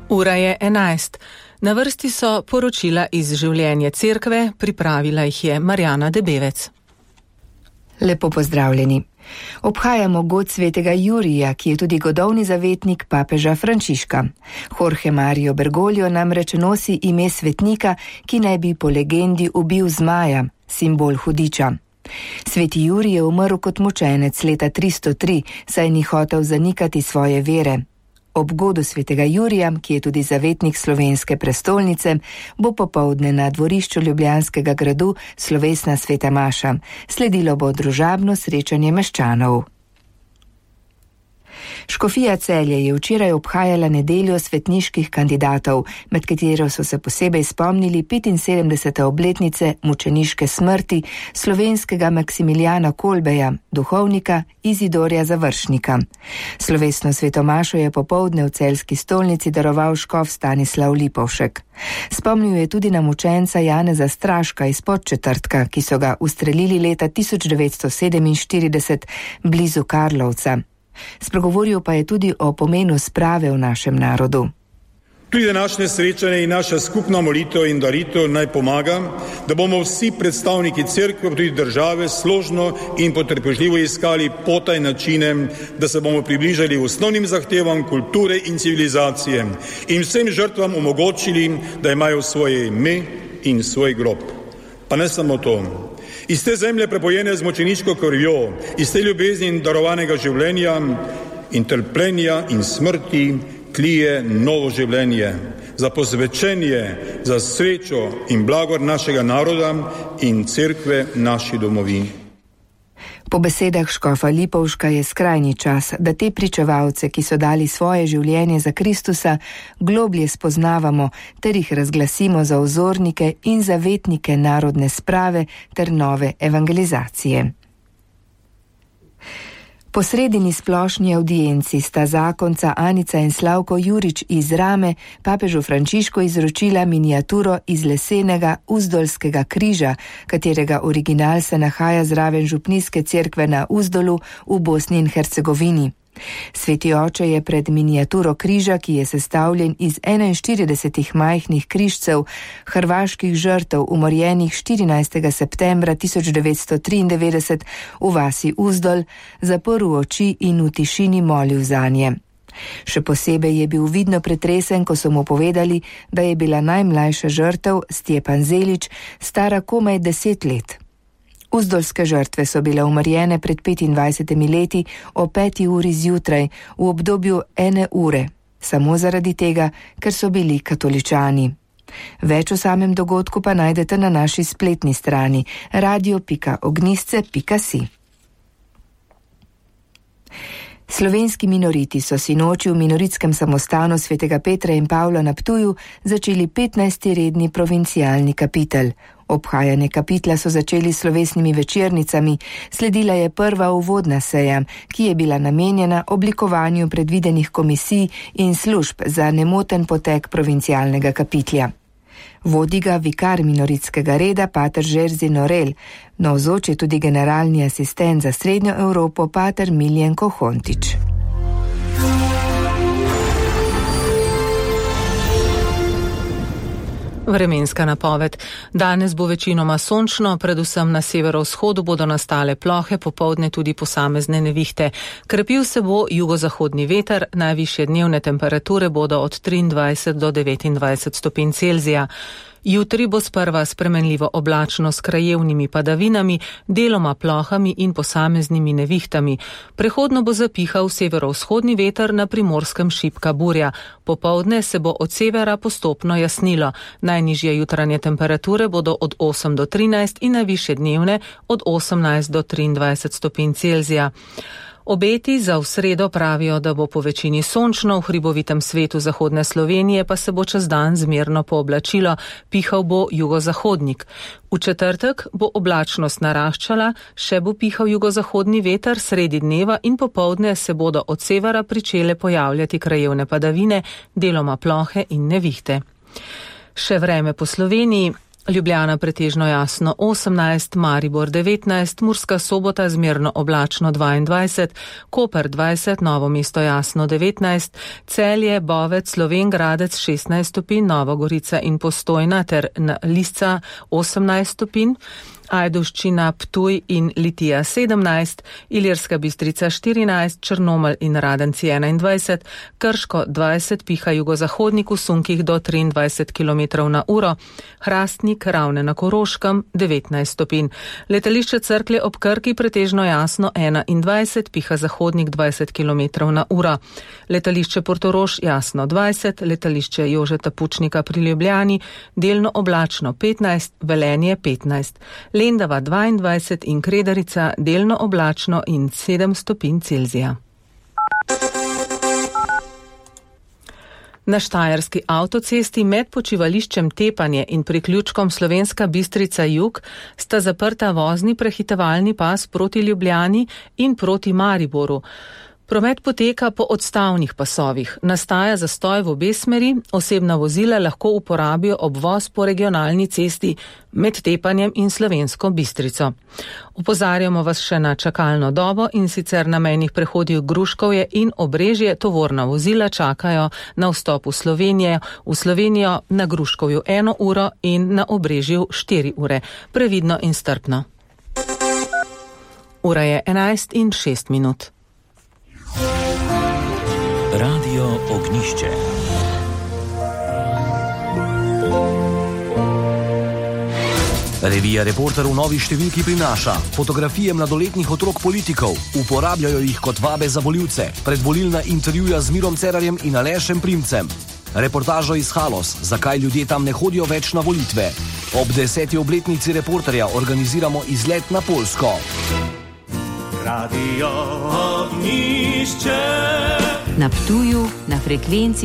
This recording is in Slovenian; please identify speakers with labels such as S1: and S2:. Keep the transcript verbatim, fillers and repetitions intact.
S1: Ura je enajst. Na vrsti so poročila iz življenja cerkve, pripravila jih je Marjana Debevec.
S2: Lepo pozdravljeni. Obhajamo god svetega Jurija, ki je tudi godovni zavetnik papeža Frančiška. Jorge Mario Bergoglio namreč nosi ime svetnika, ki naj bi po legendi ubil zmaja, simbol hudiča. Sveti Jurij je umrl kot mučenec leta tristo tri, saj ni hotel zanikati svoje vere. Ob godu svetega Jurija, ki je tudi zavetnik slovenske prestolnice, bo popoldne na dvorišču Ljubljanskega gradu slovesna sveta maša. Sledilo bo družabno srečanje meščanov. Škofija Celje je včeraj obhajala nedeljo svetniških kandidatov, med katero so se posebej spomnili petinsedemdesete obletnice mučeniške smrti slovenskega Maksimilijana Kolbeja, duhovnika Izidorja Završnika. Slovesno svetomašo je popoldne v celjski stolnici daroval škof Stanislav Lipovšek. Spomnil je tudi na mučenca Janeza Straška iz Podčetrtka, ki so ga ustrelili leta tisoč devetsto sedeminštirideset blizu Karlovca. Spregovoril pa je tudi o pomenu sprave v našem narodu.
S3: Tudi današnje srečanje in naša skupna molitev in daritev naj pomaga, da bomo vsi predstavniki cerkve, tudi države, složno in potrpežljivo iskali pota in načine, da se bomo približali osnovnim zahtevam kulture in civilizacije in vsem žrtvam omogočili, da imajo svoje ime in svoj grob. Pa ne samo to. Iz te zemlje prepojene z mučeniško krvjo, iz te ljubezni in darovanega življenja in trpljenja in smrti tlije novo življenje, za posvečenje, za srečo in blagor našega naroda in cerkve naši domovini.
S2: Po besedah škofa Lipovška je skrajni čas, da te pričevalce, ki so dali svoje življenje za Kristusa, globlje spoznavamo ter jih razglasimo za vzornike in zavetnike narodne sprave ter nove evangelizacije. Po sredini splošni audienci sta zakonca Anica in Slavko Jurič iz Rame papežu Frančišku izročila miniaturo iz lesenega Uzdolskega križa, katerega original se nahaja zraven župnijske cerkve na Uzdolu v Bosni in Hercegovini. Sveti oče je pred miniaturo križa, ki je sestavljen iz enainštiridesetih majhnih križcev hrvaških žrtev umorjenih štirinajstega septembra tisoč devetsto triindevetdeset v vasi Uzdol, zaprl oči in v tišini molil zanje. Še posebej je bil vidno pretresen, ko so mu povedali, da je bila najmlajša žrtev, Stjepan Zelič, stara komaj deset let. Uzdolske žrtve so bile umorjene pred petindvajsetimi leti o peti uri zjutraj v obdobju ene ure, samo zaradi tega, ker so bili katoličani. Več o samem dogodku pa najdete na naši spletni strani radio pika ognjišče pika si. Slovenski minoriti so sinoči v minoritskem samostanu svetega Petra in Pavla na Ptuju začeli petnajsti redni provincialni kapitel. Obhajanje kapitla so začeli s slovesnimi večernicami, sledila je prva uvodna seja, ki je bila namenjena oblikovanju predvidenih komisij in služb za nemoten potek provincialnega kapitlja. Vodi ga vikar minoritskega reda pater Žerzi Norel, navzoč je tudi generalni asistent za Srednjo Evropo pater Miljenko Hontič.
S1: Vremenska napoved. Danes bo večinoma sončno, predvsem na severovzhodu bodo nastale plohe, popoldne tudi posamezne nevihte. Krepil se bo jugozahodni veter, najvišje dnevne temperature bodo od triindvajset do devetindvajset stopinj Celzija. Jutri bo sprva spremenljivo oblačno s krajevnimi padavinami, deloma plohami in posameznimi nevihtami. Prehodno bo zapihal severovzhodni veter, na Primorskem šibka burja. Popoldne se bo od severa postopno jasnilo. Najnižje jutranje temperature bodo od osem do trinajst in najvišje dnevne od osemnajst do triindvajset stopinj Celzija. Obeti za v sredo pravijo, da bo po večini sončno, v hribovitem svetu zahodne Slovenije pa se bo čez dan zmerno pooblačilo, pihal bo jugozahodnik. V četrtek bo oblačnost naraščala, še bo pihal jugozahodni veter, sredi dneva in popoldne se bodo od severa pričele pojavljati krajevne padavine, deloma plohe in nevihte. Še vreme po Sloveniji. Ljubljana pretežno jasno osemnajst, Maribor devetnajst, Murska Sobota zmerno oblačno dvaindvajset, Koper dvajset, Novo mesto jasno devetnajst, Celje, Bovec, Slovenj Gradec šestnajst stopinj, Nova Gorica in Postojna ter Lisca osemnajst stopinj, Ajdovščina, Ptuj in Litija sedemnajst, Ilirska Bistrica štirinajst, Črnomelj in Radenci enaindvajset, Krško dvajset, piha jugozahodnik v sunkih do triindvajset kilometrov na uro, Hrastnik, Ravne na Koroškem devetnajst stopinj. Letališče Cerklje ob Krki pretežno jasno enaindvajset, piha zahodnik dvajset kilometrov na uro. Letališče Portorož jasno dvajset, letališče Jožeta Pučnika pri Ljubljani delno oblačno petnajst, Velenje petnajst. Lendava dvaindvajset in Kredarica delno oblačno in sedem stopinj Celzija. Na štajerski avtocesti med počivališčem Tepanje in priključkom Slovenska Bistrica Jug sta zaprta vozni prehitevalni pas proti Ljubljani in proti Mariboru. Promet poteka po odstavnih pasovih. Nastaja zastoj v obe smeri, osebna vozila lahko uporabijo obvoz po regionalni cesti med Tepanjem in Slovensko Bistrico. Opozarjamo vas še na čakalno dobo in sicer na mejnih prehodih Gruškovje in Obrežje tovorna vozila čakajo na vstop v Slovenijo, v Slovenijo na Gruškovju eno uro in na Obrežju štiri ure. Previdno in strpno. Ura je enajst in šest minut.
S4: Radio Ognišče. Revija Reporter v novi številki prinaša fotografije mladoletnih otrok politikov, uporabljajo jih kot vabe za volivce, predvolilna intervjuja z Mirom Cerarjem in Alešem Primcem. Reportažo iz Halos, zakaj ljudje tam ne hodijo več na volitve. Ob deseti obletnici Reporterja organiziramo izlet na Poljsko. Radio Ognišče.
S5: Na Ptuju, na frekvenci